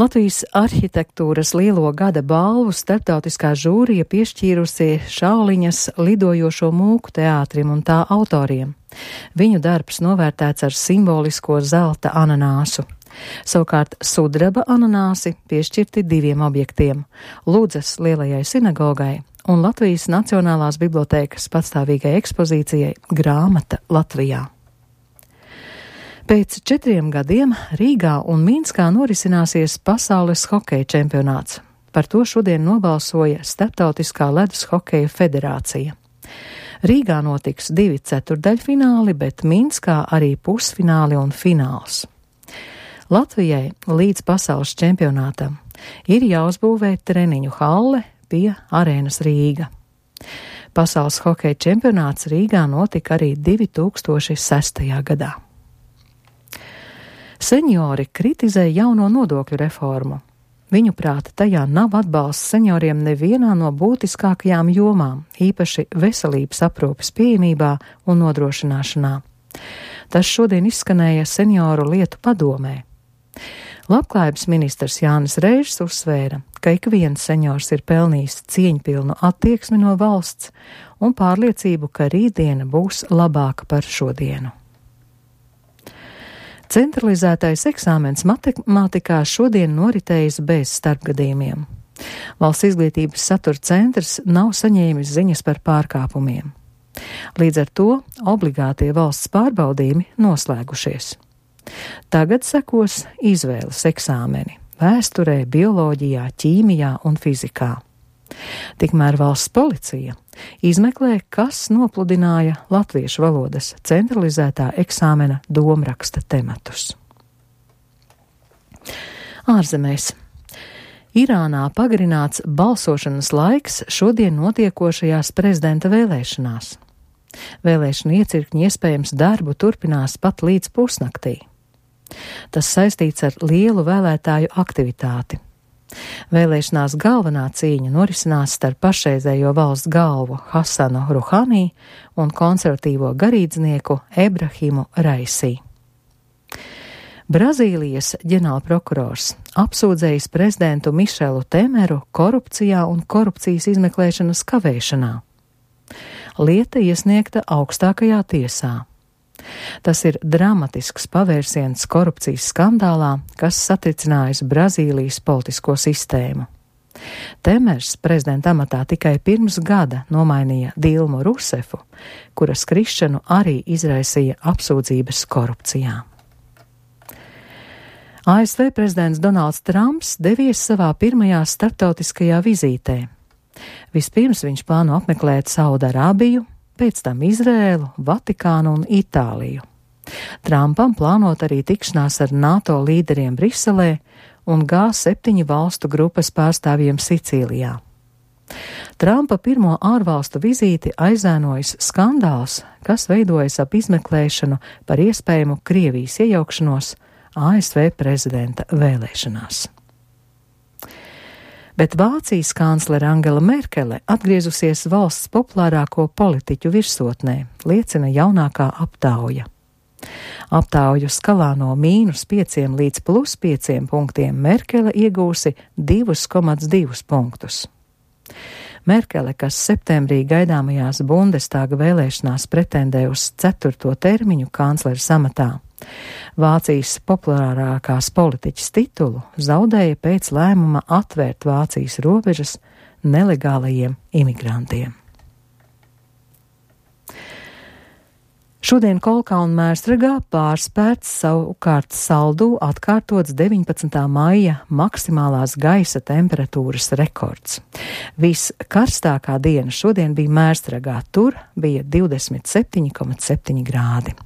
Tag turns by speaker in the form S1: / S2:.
S1: Latvijas arhitektūras lielo gada balvu starptautiskā žūrija piešķīrusi Šauliņas lidojošo mūku teātrim un tā autoriem. Viņu darbs novērtēts ar simbolisko zelta ananāsu. Savukārt sudraba ananāsi piešķirti 2 objektiem – Ludzas lielajai sinagogai un Latvijas Nacionālās bibliotēkas patstāvīgai ekspozīcijai Grāmata Latvijā. Pēc 4 gadiem Rīgā un Minskā norisināsies pasaules hokeja čempionāts. Par to šodien nobalsoja Starptautiskā ledus hokeja federācija. Rīgā notiks 2 ceturdaļfināli, bet Minskā arī pusfināli un fināls. Latvijai līdz pasaules čempionātam ir jāuzbūvē treniņu halle pie arēnas Rīga. Pasaules hokeja čempionāts Rīgā notika arī 2006. gadā. Seniori kritizē jauno nodokļu reformu. Viņuprāt, tajā nav atbalsts senioriem nevienā no būtiskākajām jomām, īpaši veselības aprūpes pieejamībā un nodrošināšanā. Tas šodien izskanēja senioru lietu padomē. Labklājības ministrs Jānis Reižs uzsvēra, ka ik viens seniors ir pelnījis cieņpilnu attieksmi no valsts un pārliecību, ka rītdiena būs labāka par šodienu. Centralizētais eksāmens matemātikā šodien noritējis bez starpgadījumiem. Valsts izglītības satura centrs nav saņēmis ziņas par pārkāpumiem. Līdz ar to obligātie valsts pārbaudījumi noslēgušies. Tagad sekos izvēles eksāmeni vēsturē, bioloģijā, ķīmijā un fizikā. Tikmēr valsts policija izmeklē, kas nopludināja latviešu valodas centralizētā eksāmena domraksta tematus. Ārzemēs. Irānā pagarināts balsošanas laiks šodien notiekošajās prezidenta vēlēšanās. Vēlēšanu iecirkņi iespējams darbu turpinās pat līdz pusnaktī. Tas saistīts ar lielu vēlētāju aktivitāti. Vēlēšanās galvenā cīņa norisinās starp pašreizējo valsts galvu Hasanu Ruhanī un konservatīvo garīdznieku Ebrahimu Raisī. Brazīlijas ģenerālprokurors apsūdzējis prezidentu Mišelu Temeru korupcijā un korupcijas izmeklēšanas kavēšanā. Lieta iesniegta augstākajā tiesā. Tas ir dramatisks pavērsiens korupcijas skandālā, kas satricinājis Brazīlijas politisko sistēmu. Temers prezidenta amatā tikai pirms gada nomainīja Dilmu Rusefu, kuras krišanu arī izraisīja apsūdzības korupcijā. ASV prezidents Donalds Trumps devies savā pirmajā starptautiskajā vizītē. Vispirms viņš plāno apmeklēt Saudarābiju, pēc tam Izrēlu, Vatikānu un Itāliju. Trumpam plānot arī tikšanās ar NATO līderiem Briselē un G7 valstu grupas pārstāvjiem Sicīlijā. Trumpa pirmo ārvalstu vizīti aizēnojas skandāls, kas veidojas ap izmeklēšanu par iespējamu Krievijas iejaukšanos ASV prezidenta vēlēšanās. Bet Vācijas kanclere Angela Merkele atgriezusies valsts populārāko politiķu virsotnē, liecina jaunākā aptauja. Aptauju skalā no -5 līdz +5 punktiem Merkele iegūsi 2,2 punktus. Merkele, kas septembrī gaidāmajās Bundestāga vēlēšanās pretendē uz 4. termiņu kancleres amatā, Vācijas populārākās politiķas titulu zaudēja pēc lēmuma atvērt Vācijas robežas nelegālajiem imigrantiem. Šodien Kolkā un Mērstragā pārspērts savukārt Saldū atkārtots 19. maija maksimālās gaisa temperatūras rekords. Viskarstākā diena šodien bija Mērstragā, tur bija 27,7 grādi.